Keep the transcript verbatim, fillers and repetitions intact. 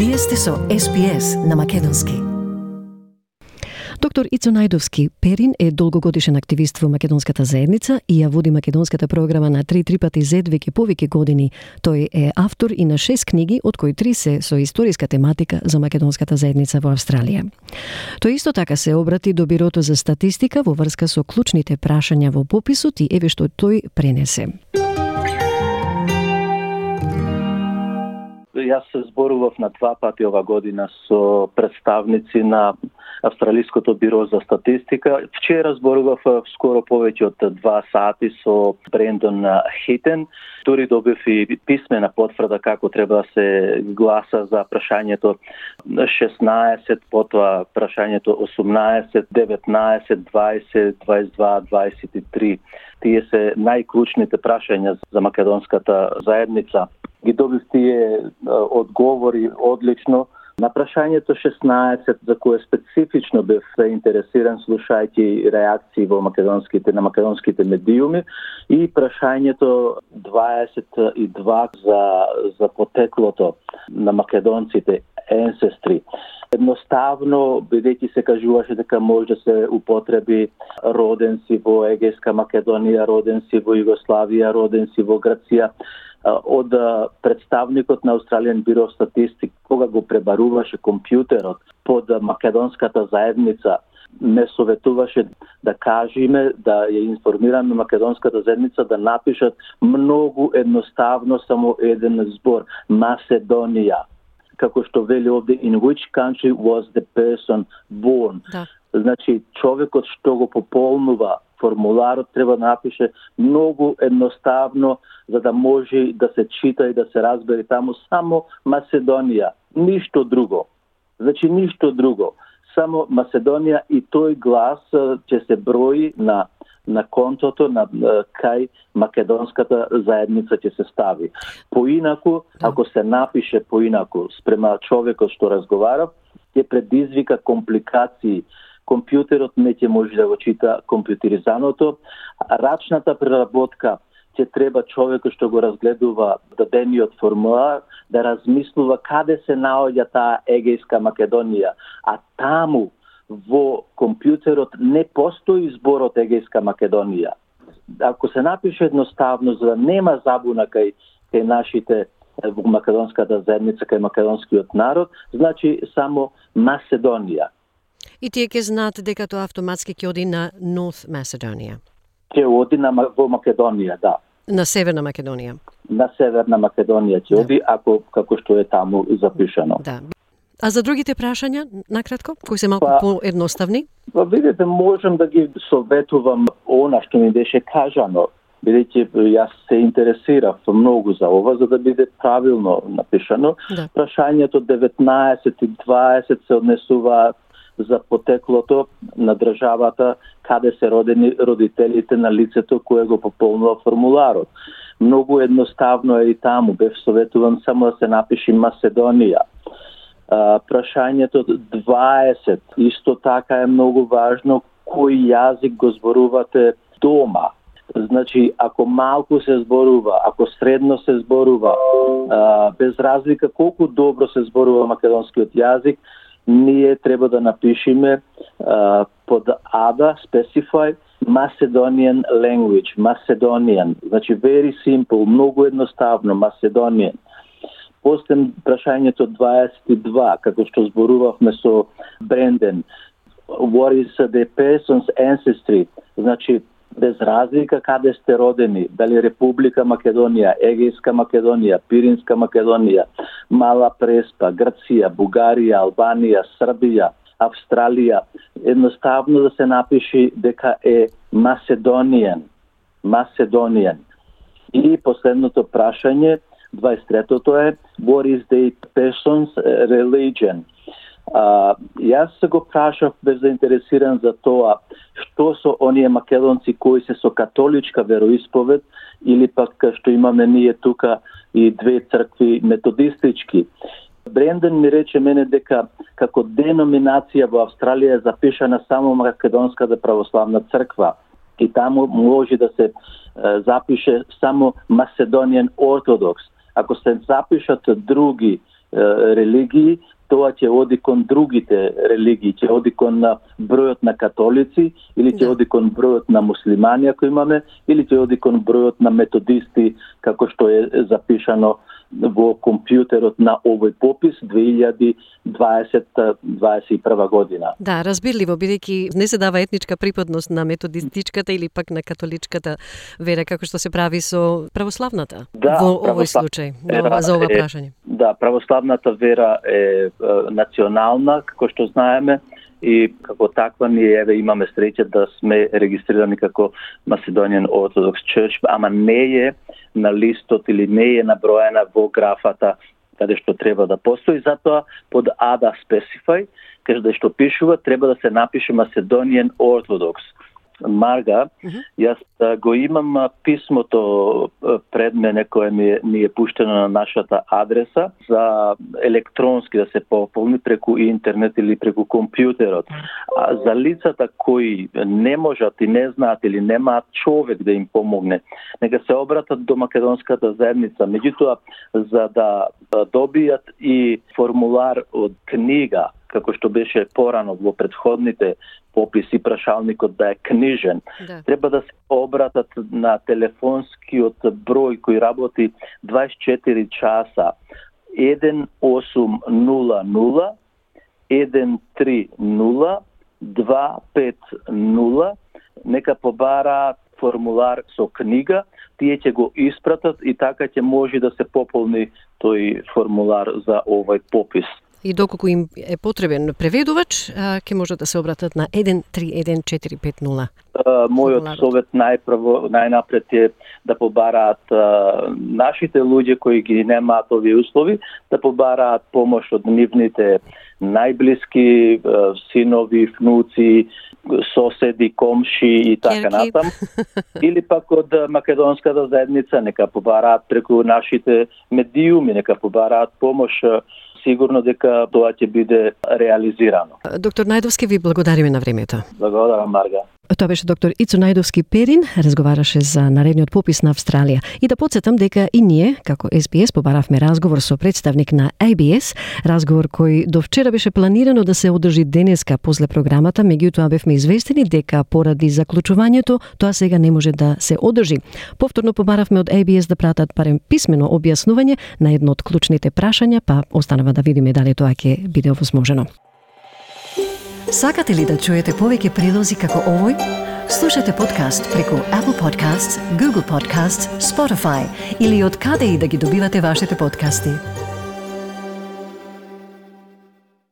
Вие сте со Ес Би Ес на македонски. Доктор Ицо Најдовски Перин е долгогодишен активист во македонската заедница и ја води македонската програма на три три пати зет веќе повеќе години. Тој е автор и на шест книги, од кои три се со историска тематика за македонската заедница во Австралија. Тој исто така се обрати до Бирото за статистика во врска со клучните прашања во пописот и еве што тој пренесе. Јас се зборував на два пати ова година со представници на Австралиското биро за статистика. Вчера зборував скоро повеќе од два сати со Брендон Хитен. Дури добив и писмена потврда како треба да се гласа за прашањето шеснаесет, потоа прашањето осумнаесет, деветнаесет, дваесет, дваесет и два, дваесет и три. Тие се најклучните прашања за македонската заедница. Ги добив тие одговори одлично. На прашањето шеснаесет, за кое специфично бев заинтересиран слушајќи реакции во македонските на македонските медиуми, и прашањето дваесет и два за за потеклото на македонците, ancestry. Едноставно, бидејќи се кажуваше дека може да се употреби роден си во Егејска Македонија, роден си во Југославија, роден си во Грција, од представникот на Australian Bureau of Statistics, кога го пребаруваше компјутерот под македонската заедница, ме советуваше да кажеме, да ја информираме македонската заедница да напишат многу едноставно само еден збор: Macedония. Како што вели овде, in which country was the person born. Да. Значи, човекот што го пополнува формуларот треба да напише многу едноставно, за да може да се чита и да се разбере таму само Macedонија, ништо друго. Значи, ништо друго. Само Macedонија, и тој глас ќе се брои на на контото на кај македонската заедница ќе се стави. Поинаку, ако се напише поинаку спрема човекот што разговара, ќе предизвика компликации. Компјутерот не ќе може да го чита компјутеризаното, рачната преработка ќе треба човекот што го разгледува дадениот формулар да размислува каде се наоѓа таа Егејска Македонија, а таму во компјутерот не постои зборот Егејска Македонија. Ако се напише едноставно, за да нема забуна кај, кај нашите во македонската заедница, кај македонскиот народ, значи само Macedонија. И тие ќе знаат дека тоа автоматски ќе оди на North Macedonia. Ќе оди на во Македонија, да. На Северна Македонија. На Северна Македонија ќе да. оди, ако како што е таму запишано. Да. А за другите прашања, накратко, кои се малку па, поедноставни? Па видите, можам да ги советувам она што ми беше кажано, бидејќи јас се интересирав многу за ова, за да биде правилно напишано. Да. Прашањето деветнаесет и дваесет се однесува за потеклото на државата, каде се родени родителите на лицето кое го пополнува формуларот. Многу едноставно е и таму, бев советуван само да се напиши Macedонија. Uh, прашањето дваесет, исто така е многу важно, кој јазик го зборувате дома. Значи, ако малку се зборува, ако средно се зборува, uh, без разлика колку добро се зборува македонскиот јазик, ние треба да напишеме uh, под ада, specify, Macedonian language, Macedonian. Значи, very simple, многу едноставно, Macedonian. После прашањето дваесет и два, како што зборувавме со Бренден, what is the person's ancestry? Значи, без разлика каде сте родени, дали Република Македонија, Егејска Македонија, Пиринска Македонија, Мала Преспа, Грција, Бугарија, Албанија, Србија, Австралија, едноставно да се напиши дека е Macedonian, Macedonian. И последното прашање, дваесет и третото е what is the person's religion? Uh, јас се го прашав, бев заинтересиран за тоа што со оние македонци кои се со католичка вероисповед, или пак што имаме ние тука и две цркви методистички. Бренден ми рече мене дека како деноминација во Австралија е запишана само македонската православна црква, и таму може да се uh, запише само Macedonian Orthodox. Ако се запишат други религии, тоа ќе оди кон другите религии, ќе оди кон бројот на католици, или ќе оди кон бројот на муслимани ако имаме, или ќе оди кон бројот на методисти, како што е запишано во компјутерот на овој попис две илјади дваесета дваесет и прва година. Да, разбирливо, бидејќи не се дава етничка припадност на методистичката или пак на католичката вера, како што се прави со православната. Да, во овој православ... случај, ова, за ова е, прашање. Да, православната вера е, е национална, како што знаеме, и како таква ние еве имаме среќа да сме регистрирани како Macedonian Orthodox Church, ама не е на листот или не е наброена во графата каде што треба да постои, затоа под ада specify, каде што пишува треба да се напише Macedonian Orthodox. Марга, uh-huh. јас го имам писмото пред мене кое ми е, ми е пуштено на нашата адреса за електронски да се пополни преку интернет или преку компјутерот. А за лицата кои не можат и не знаат или немаат човек да им помогне, нека се обратат до македонската заедница. Меѓутоа, за да добијат и формулар од книга, како што беше порано во претходните пописи, прашалникот да е книжен, да. Треба да се обратат на телефонскиот број кој работи дваесет и четири часа еден осум нула нула еден три нула два пет нула, нека побараат формулар со книга, тие ќе го испратат и така ќе може да се пополни тој формулар за овој попис. И доколку им е потребен преведувач, ќе може да се обратат на еден три еден четири пет нула. Мојот совет најпрво, најнапред е да побараат а, нашите луѓе кои ги немаат овие услови, да побараат помош од нивните најблиски а, синови, внуци, соседи, комши и така натам. Или пак од македонската заедница, нека побараат преку нашите медиуми, нека побараат помош. Сигурно дека тоа ќе биде реализирано. Доктор Најдовски, ви благодариме на времето. Благодарам, Марга. Тоа беше доктор Ицо Најдовски Перин, разговараше за наредниот попис на Австралија. И да подсетам дека и ние, како Ес Би Ес, побаравме разговор со представник на Ей Би Ес, разговор кој до вчера беше планирано да се одржи денеска после програмата, меѓутоа бевме известени дека поради заклучувањето тоа сега не може да се одржи. Повторно побаравме од Ей Би Ес да пратат барем писмено објаснување на едно од клучните прашања, па останува да видиме дали тоа ќе биде овозможено. Сакате ли да чуете повеќе прилози како овој? Слушате подкаст преку Apple Podcasts, Google Podcasts, Spotify или од каде и да ги добивате вашите подкасти.